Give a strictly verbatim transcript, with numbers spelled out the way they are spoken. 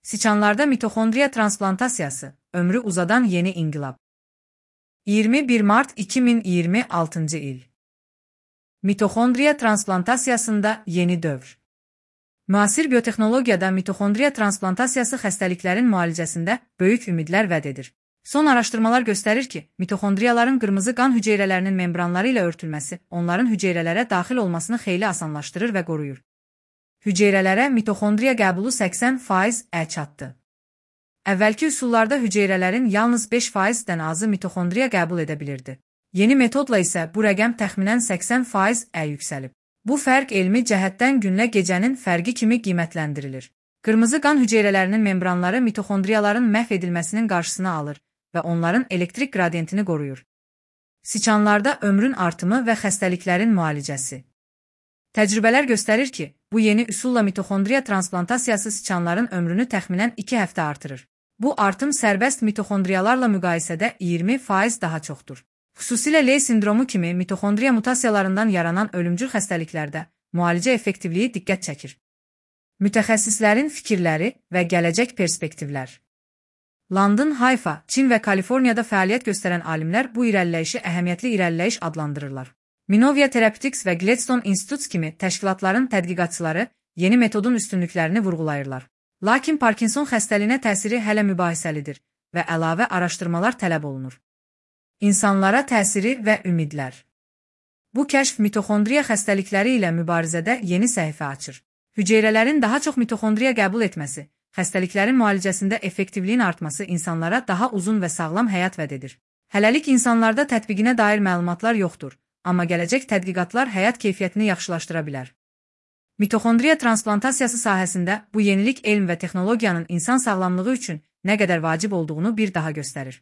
Siçanlarda mitoxondriya transplantasiyası, ömrü uzadan yeni inqilab. iyirmi bir mart iki min iyirmi altıncı il. Mitoxondriya transplantasiyasında yeni dövr. Müasir biotexnologiyada mitoxondriya transplantasiyası xəstəliklərin müalicəsində böyük ümidlər vəd edir. Son araşdırmalar göstərir ki, mitoxondriyaların qırmızı qan hüceyrələrinin membranları ilə örtülməsi onların hüceyrələrə daxil olmasını xeyli asanlaşdırır və qoruyur. Hüceyrələrə mitoxondriya qəbulu səksən faiz-ə çatdı. Əvvəlki üsullarda hüceyrələrin yalnız beş faizdən azı mitoxondriya qəbul edə bilirdi. Yeni metodla isə bu rəqəm təxminən səksən faiz-ə yüksəlib. Bu fərq elmi cəhətdən günlə gecənin fərqi kimi qiymətləndirilir. Qırmızı qan hüceyrələrinin membranları mitoxondriyaların məhv edilməsinin qarşısını alır və onların elektrik qradiyentini qoruyur. Siçanlarda ömrün artımı və xəstəliklərin müalicəsi. Təcrübələr göstərir ki, bu yeni üsulla mitoxondriya transplantasiyası siçanların ömrünü təxminən iki həftə artırır. Bu artım sərbəst mitoxondriyalarla müqayisədə iyirmi faiz daha çoxdur. Xüsusilə Ley sindromu kimi mitoxondriya mutasiyalarından yaranan ölümcül xəstəliklərdə müalicə effektivliyi diqqət çəkir. Mütəxəssislərin fikirləri və gələcək perspektivlər. London, Hayfa, Çin və Kaliforniyada fəaliyyət göstərən alimlər bu irəliləyişi əhəmiyyətli irəliləyiş adlandırırlar. Minovia Therapeutics və Gladstone Institutes kimi təşkilatların tədqiqatçıları yeni metodun üstünlüklərini vurğulayırlar. Lakin Parkinson xəstəliyinə təsiri hələ mübahisəlidir və əlavə araşdırmalar tələb olunur. İnsanlara təsiri və ümidlər. Bu kəşf mitoxondriya xəstəlikləri ilə mübarizədə yeni səhifə açır. Hüceyrələrin daha çox mitoxondriya qəbul etməsi, xəstəliklərin müalicəsində effektivliyin artması insanlara daha uzun və sağlam həyat vəd edir. Hələlik insanlarda tətbiqinə dair məlumatlar yoxdur. Amma gələcək tədqiqatlar həyat keyfiyyətini yaxşılaşdıra bilər. Mitoxondriya transplantasiyası sahəsində bu yenilik elm və texnologiyanın insan sağlamlığı üçün nə qədər vacib olduğunu bir daha göstərir.